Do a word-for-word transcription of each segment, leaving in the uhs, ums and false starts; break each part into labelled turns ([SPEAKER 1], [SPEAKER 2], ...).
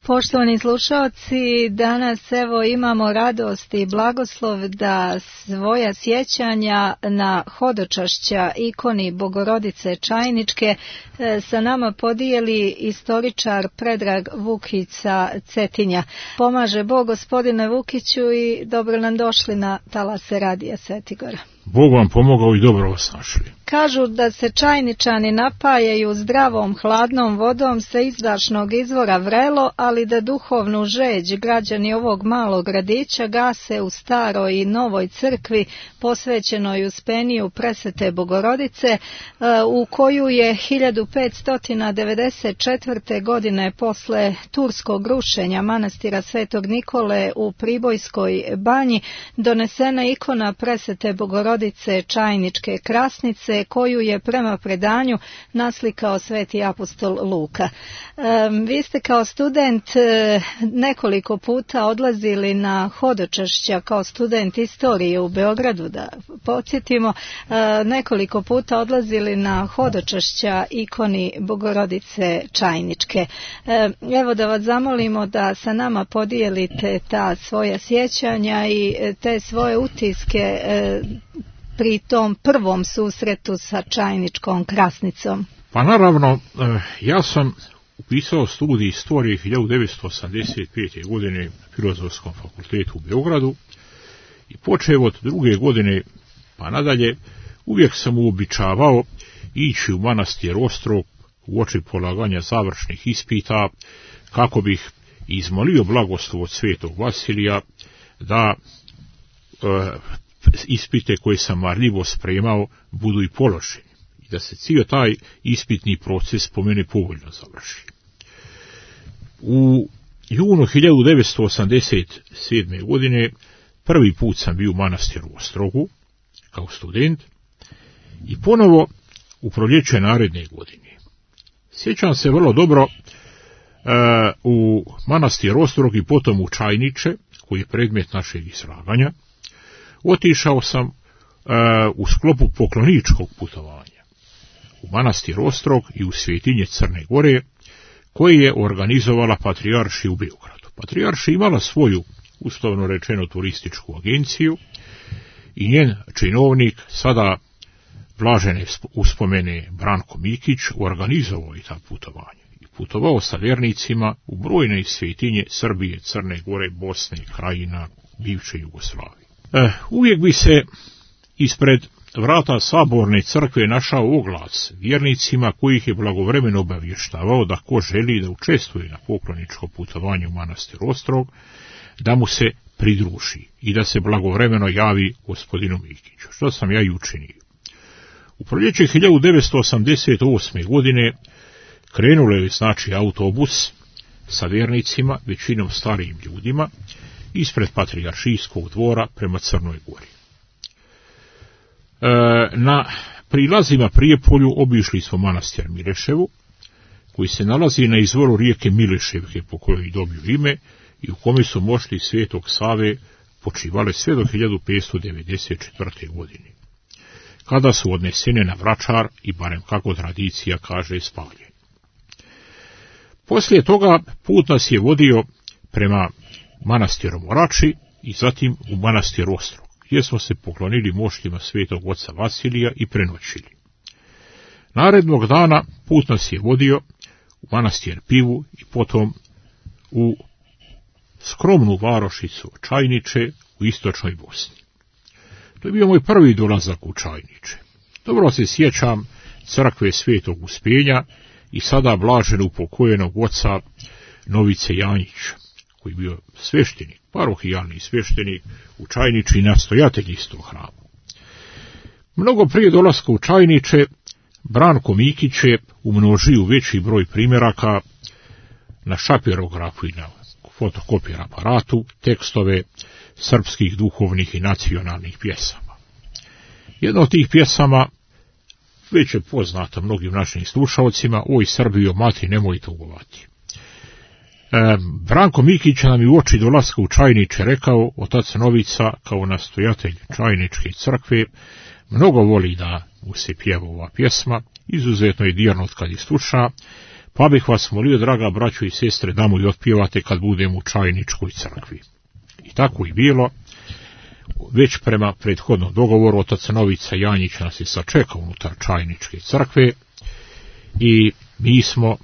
[SPEAKER 1] Poštovani slušalci, danas evo imamo radost i blagoslov da svoja sjećanja na hodočašća ikoni Bogorodice Čajničke sa nama podijeli istoričar Predrag Vukić sa Cetinja. Pomaže Bog, gospodine Vukiću, i dobro nam došli na talase Radija Svetigora.
[SPEAKER 2] Bog vam pomogao i dobro vas našli.
[SPEAKER 1] Kažu da se Čajničani napajaju zdravom hladnom vodom sa izdašnog izvora Vrelo, ali da duhovnu žeđ građani ovog malog gradića gase u staroj i novoj crkvi posvećenoj Uspeniju Presvete Bogorodice, u koju je hiljadu petsto devedeset četvrte. godine posle turskog rušenja manastira Svetog Nikole u Pribojskoj banji donesena ikona Presvete Bogorodice Čajničke Krasnice, koju je prema predanju naslikao sveti apostol Luka. Um, vi ste kao student nekoliko puta odlazili na hodočašća kao student istorije u Beogradu, da podsjetimo, uh, nekoliko puta odlazili na hodočašća ikoni Bogorodice Čajničke. Uh, evo da vas zamolimo da sa nama podijelite ta svoja sjećanja i te svoje utiske uh, pri tom prvom susretu sa Čajničkom Krasnicom.
[SPEAKER 2] Pa naravno, ja sam upisao studij istorije hiljadu devetsto osamdeset pete. godine na Filozofskom fakultetu u Beogradu i počeo od druge godine pa nadalje uvijek sam uobičavao ići u manastir Ostrog uoči polaganja završnih ispita kako bih izmolio blagoslov od svetog Vasilija da e, ispite koje sam marljivo spremao budu i položeni i da se cijel taj ispitni proces po mene povoljno završi. U junu hiljadu devetsto osamdeset sedme. godine prvi put sam bio u manastiru Ostrogu kao student i ponovo u proljeće naredne godine. Sjećam se vrlo dobro e, u manastir Ostrog i potom u Čajniče, koji je predmet našeg izlaganja. Otišao sam e, u sklopu pokloničkog putovanja u manastir Ostrog i u Svetinje Crne Gore, koji je organizovala Patrijaršija u Beogradu. Patrijaršija imala svoju, uslovno rečeno, turističku agenciju i njen činovnik, sada blažene uspomene Branko Mikić, organizovao i ta putovanja. I putovao sa vjernicima u brojne svetinje Srbije, Crne Gore, Bosne, Krajina, bivše Jugoslavije. E, uvijek bi se ispred vrata saborne crkve našao oglas vjernicima kojih je blagovremeno obavještavao da ko želi da učestvuje na pokloničko putovanje u manastir Ostrog, da mu se pridruži i da se blagovremeno javi gospodinu Mikiću, što sam ja i učinio. U proljeće hiljadu devetsto osamdeset osme. godine krenulo je znači autobus sa vjernicima, većinom starijim ljudima, ispred Patrijaršijskog dvora prema Crnoj Gori. E, na prilazima Prijepolju obišli smo manastir Mileševu, koji se nalazi na izvoru rijeke Mileševke, po kojoj je dobio ime, i u kome su mošti Svetog Save počivale sve do hiljadu petsto devedeset četvrte. godine, kada su odnesene na Vračar i, barem kako tradicija kaže, spaljene. Poslije toga put nas je vodio prema manastiru Morači i zatim u manastir Ostrog, gdje smo se poklonili moštima svetog oca Vasilija i prenoćili. Narednog dana put nas je vodio u manastir Pivu i potom u skromnu varošicu Čajniče u istočnoj Bosni. To je bio moj prvi dolazak u Čajniče. Dobro se sjećam crkve Svetog Uspenja i sada blaženo upokojenog oca Novice Janjića, koji je bio sveštenik, parohijalni sveštenik u Čajniči i nastojatelj istog hrama. Mnogo prije dolaska u Čajniče, Branko Mikić je umnožio veći broj primjeraka na šapirografu i na fotokopir aparatu tekstove srpskih duhovnih i nacionalnih pjesama. Jedna od tih pjesama već je poznata mnogim našim slušalcima: Oj Srbijo, mati, nemoj tugovati. E, Branko Mikić nam je u oči dolaska u Čajniče rekao: otac Novica, kao nastojatelj Čajničke crkve, mnogo voli da mu se pjeva ova pjesma, izuzetno je dirnut kad je sluša, pa bih vas molio, draga braćo i sestre, da mu i otpjevate kad budemo u Čajničkoj crkvi. I tako i bilo. Već prema prethodnom dogovoru otac Novica Janjić nas je sačekao unutar Čajničke crkve i mi smo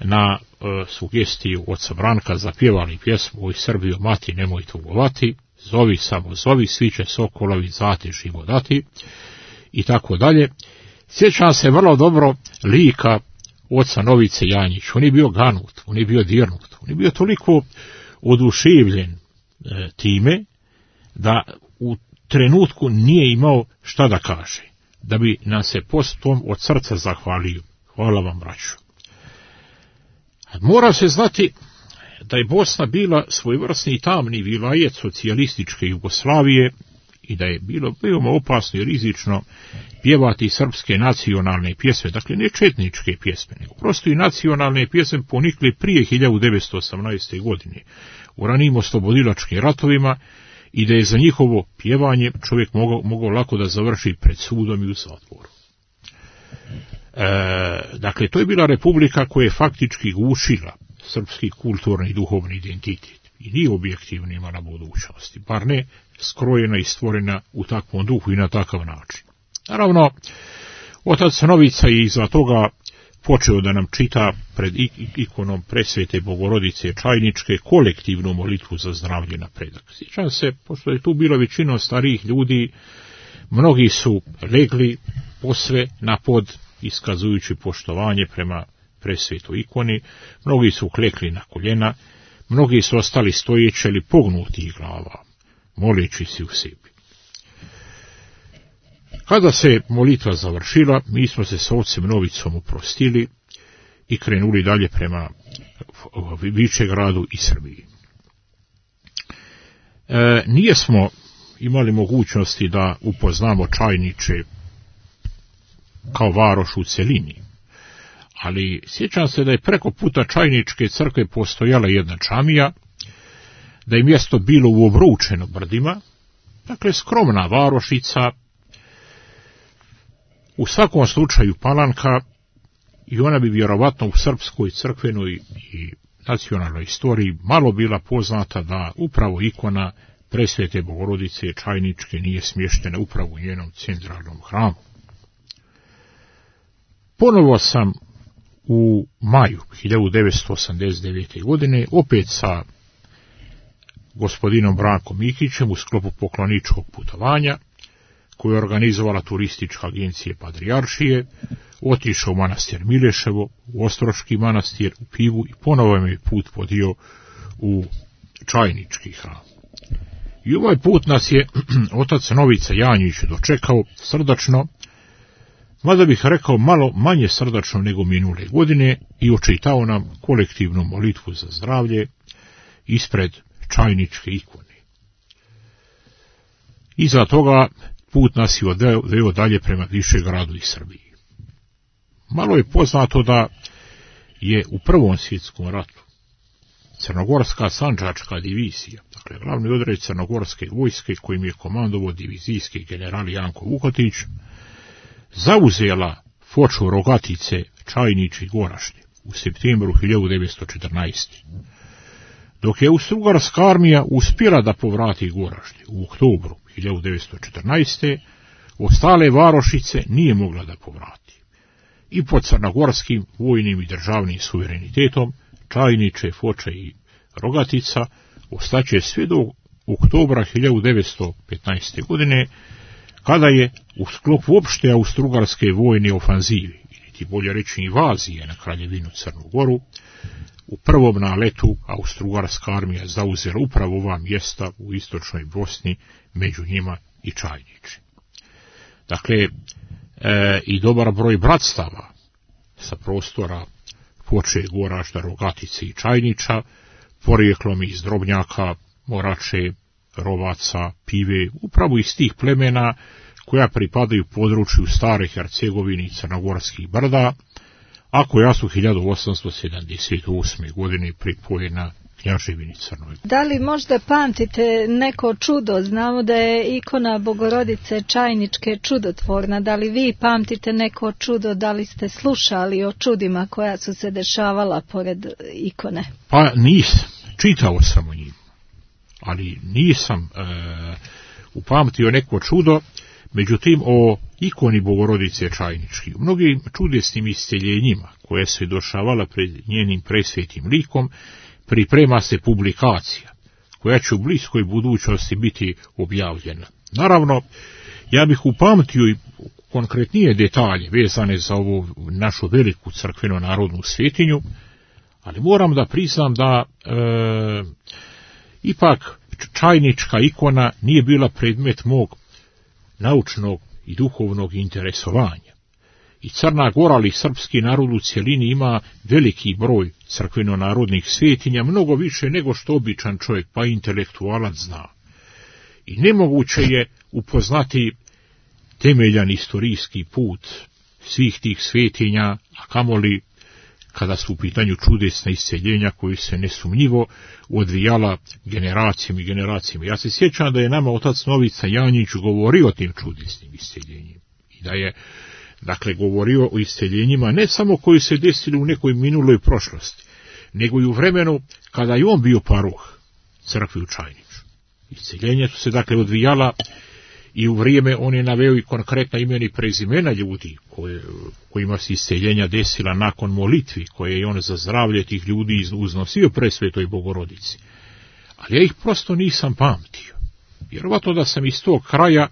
[SPEAKER 2] na e, sugestiju oca Branka zapjevali pjesmu Oj Srbijo mati nemoj tugovati, zovi samo zovi, svi će sokolovi zate živo dati i tako dalje. Sjećam se vrlo dobro lika oca Novice Janjić. On je bio ganut, on je bio dirnut, on je bio toliko oduševljen e, time da u trenutku nije imao šta da kaže, da bi nam se postom od srca zahvalio. Hvala vam, braćo. Mora se znati da je Bosna bila svojevrsni tamni vilajet socijalističke Jugoslavije i da je bilo veoma opasno i rizično pjevati srpske nacionalne pjesme, dakle ne četničke pjesme, nego prosto i nacionalne pjesme ponikle prije hiljadu devetsto osamnaeste. godine u ranijim oslobodilačkim ratovima i da je za njihovo pjevanje čovjek mogao, mogao lako da završi pred sudom i u zatvoru. E, dakle, to je bila republika koja je faktički gušila srpski kulturni i duhovni identitet i nije objektivno imala budućnosti, bar ne skrojena i stvorena u takvom duhu i na takav način. Naravno, otac Novica je iza toga počeo da nam čita pred ikonom Presvete Bogorodice Čajničke kolektivnu molitvu za zdravlje na predak. Sjećam se, pošto je tu bilo većina starijih ljudi, mnogi su legli posve na pod, iskazujući poštovanje prema presvetoj ikoni, mnogi su klekli na koljena, mnogi su ostali stojeći ili pognutih glava, moleći se u sebi. Kada se molitva završila, mi smo se s ocem Novicom oprostili i krenuli dalje prema Višegradu i Srbiji. E, nije smo imali mogućnosti da upoznamo Čajniče kao varoš u celini, ali sjećam se da je preko puta Čajničke crkve postojala jedna džamija, da je mjesto bilo u Obručeno brdima, dakle skromna varošica, u svakom slučaju palanka, i ona bi vjerovatno u srpskoj crkvenoj i nacionalnoj istoriji malo bila poznata da upravo ikona Presvete Bogorodice Čajničke nije smještena upravo u njenom centralnom hramu. Ponovo sam u maju hiljadu devetsto osamdeset devete. godine opet sa gospodinom Brankom Mikićem u sklopu pokloničkog putovanja koju je organizovala turistička agencija Patrijaršije, otišao u manastir Mileševo, u Ostroški manastir, u Pivu i ponovo me put vodio u Čajnički hram. I ovaj put nas je otac Novica Janjić dočekao srdačno, mada bih rekao malo manje srdačno nego minule godine, i očitao nam kolektivnu molitvu za zdravlje ispred Čajničke ikone. Iza toga put nas je odveo dalje prema Višegradu i Srbiji. Malo je poznato da je u Prvom svjetskom ratu Crnogorska sandžačka divizija, dakle glavni odred Crnogorske vojske kojim je komandovao divizijski general Janko Vukotić, zauzela foču Rogatice, Čajnič i Goražde u septembru hiljadu devetsto četrnaeste. Dok je Austrougarska armija uspjela da povrati Goražde u oktobru hiljadu devetsto četrnaeste. ostale varošice nije mogla da povrati. I pod crnogorskim vojnim i državnim suverenitetom Čajniče, Foča i Rogatica ostaće sve do oktobra hiljadu devetsto petnaeste. godine, kada je u sklopu opšte austrougarske vojne ofanzive, ili ti bolje reći invazije na Kraljevinu Crnu Goru, u prvom naletu austrougarska armija zauzela upravo ova mjesta u istočnoj Bosni, među njima i Čajniče. Dakle, e, i dobar broj bratstava sa prostora Foče, Goražda, Rogatice i Čajniča, porijeklom iz Drobnjaka, Morače, Rovaca, Pive, upravo iz tih plemena koja pripadaju području Stare Hercegovine i Crnogorskih brda, a koja su hiljadu osamsto sedamdeset osme. godine pripojena Knjaževini Crnoj.
[SPEAKER 1] Da li možda pamtite neko čudo? Znamo da je ikona Bogorodice Čajničke čudotvorna. Da li vi pamtite neko čudo? Da li ste slušali o čudima koja su se dešavala pored ikone?
[SPEAKER 2] Pa nisam. Čitao sam o njim. Ali nisam e, upamtio neko čudo. Međutim, o ikoni Bogorodice Čajničke, u mnogim čudesnim isceljenjima koje se dešavala pred njenim presvetim likom, priprema se publikacija koja će u bliskoj budućnosti biti objavljena. Naravno, ja bih upamtio i konkretnije detalje vezane za ovu našu veliku crkveno-narodnu svetinju, ali moram da priznam da e, ipak Čajnička ikona nije bila predmet mog naučnog i duhovnog interesovanja. I Crna Gora, ali srpski narod u cjelini ima veliki broj crkveno-narodnih svetinja, mnogo više nego što običan čovjek, pa intelektualac zna. I nemoguće je upoznati temeljan istorijski put svih tih svetinja, a kamoli kada su u pitanju čudesna isceljenja koji se nesumnjivo odvijala generacijama i generacijama. Ja se sjećam da je nama otac Novica Janjić govorio o tim čudesnim isceljenjima. I da je, dakle, govorio o isceljenjima ne samo koji se desili u nekoj minuloj prošlosti, nego i u vremenu kada je on bio paroh crkve u Čajniču. Isceljenja su se, dakle, odvijala i u vrijeme on je naveo i konkretna imena i prezimena ljudi koje, kojima se isceljenja desila nakon molitvi koje je on za zdravlje tih ljudi uznosio presvetoj Bogorodici. Ali ja ih prosto nisam pamtio. Vjerovatno da sam iz tog kraja,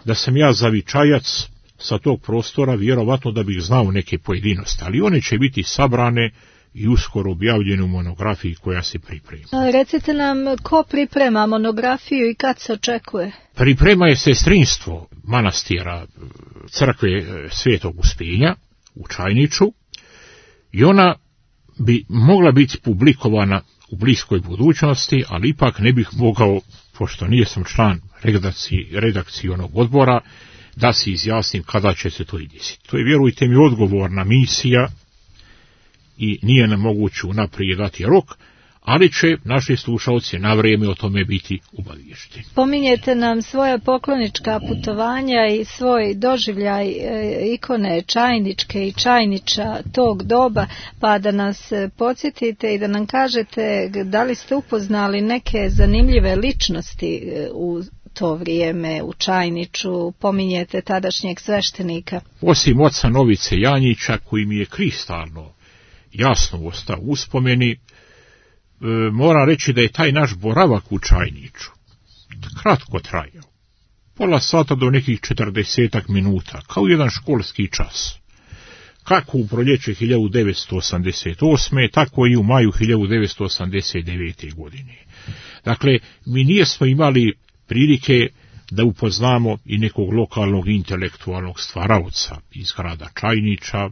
[SPEAKER 2] da sam ja zavičajac sa tog prostora, vjerovatno da bih znao neke pojedinosti, ali one će biti sabrane i uskoro objavljenu monografiji koja se priprema.
[SPEAKER 1] A recite nam, ko priprema monografiju i kad se očekuje?
[SPEAKER 2] Priprema je sestrinstvo manastira crkve Svetog Uspinja u Čajniču i ona bi mogla biti publikovana u bliskoj budućnosti, ali ipak ne bih mogao, pošto nisam član redakci, redakcionog odbora, da se izjasnim kada će se to i desiti. To je, vjerujte mi, odgovorna misija i nije nam moguće unaprijed dati rok, ali će naši slušalci na vrijeme o tome biti obaviješteni.
[SPEAKER 1] Pominjete nam svoja poklonička putovanja i svoj doživljaj e, ikone Čajničke i Čajniča tog doba, pa da nas podsjetite i da nam kažete da li ste upoznali neke zanimljive ličnosti u to vrijeme u Čajniču. Pominjete tadašnjeg sveštenika.
[SPEAKER 2] Osim oca Novice Janjića, koji mi je kristalno jasno ostao u uspomeni, e, moram reći da je taj naš boravak u Čajniču kratko trajao. Pola sata do nekih četrdesetak minuta, kao jedan školski čas. Kako u proljeće hiljadu devetsto osamdeset osme, tako i u maju hiljadu devetsto osamdeset devete. godine. Dakle, mi nijesmo imali prilike da upoznamo i nekog lokalnog intelektualnog stvaraoca iz grada Čajniča.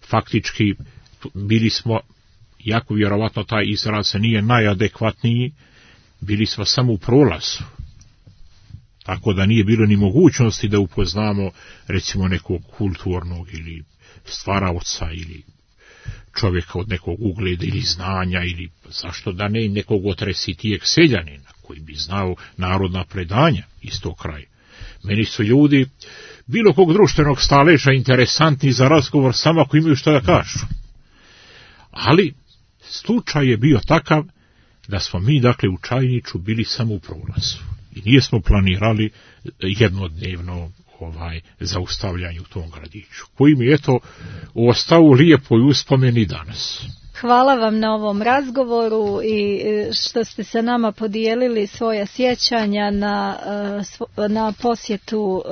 [SPEAKER 2] Faktički bili smo, jako vjerovatno taj izraz nije najadekvatniji, bili smo samo u prolazu. Tako da nije bilo ni mogućnosti da upoznamo recimo nekog kulturnog ili stvaraoca ili čovjeka od nekog ugleda ili znanja ili zašto da ne nekog otresitijeg seljanina koji bi znao narodna predanja iz tog kraja. Meni su ljudi bilo kog društvenog staleža interesantni za razgovor samo ako imaju što da kažu. Ali slučaj je bio takav da smo mi, dakle, u Čajniču bili samo u prolazu i nijesmo planirali jednodnevno ovaj zaustavljanje u tom gradiću, koji mi je to ostao u lijepoj uspomeni danas.
[SPEAKER 1] Hvala vam na ovom razgovoru i što ste sa nama podijelili svoja sjećanja na, na posjetu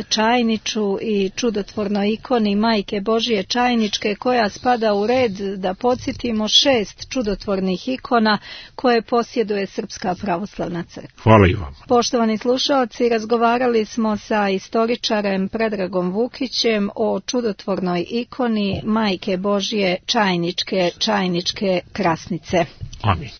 [SPEAKER 1] Čajniču i čudotvornoj ikoni Majke Božije Čajničke, koja spada u red, da podsjetimo, šest čudotvornih ikona koje posjeduje Srpska pravoslavna crkva.
[SPEAKER 2] Hvala i vam.
[SPEAKER 1] Poštovani slušalci, razgovarali smo sa istoričarem Predragom Vukićem o čudotvornoj ikoni Majke Božije Čajničke, Čajničke krasnice.
[SPEAKER 2] Amin.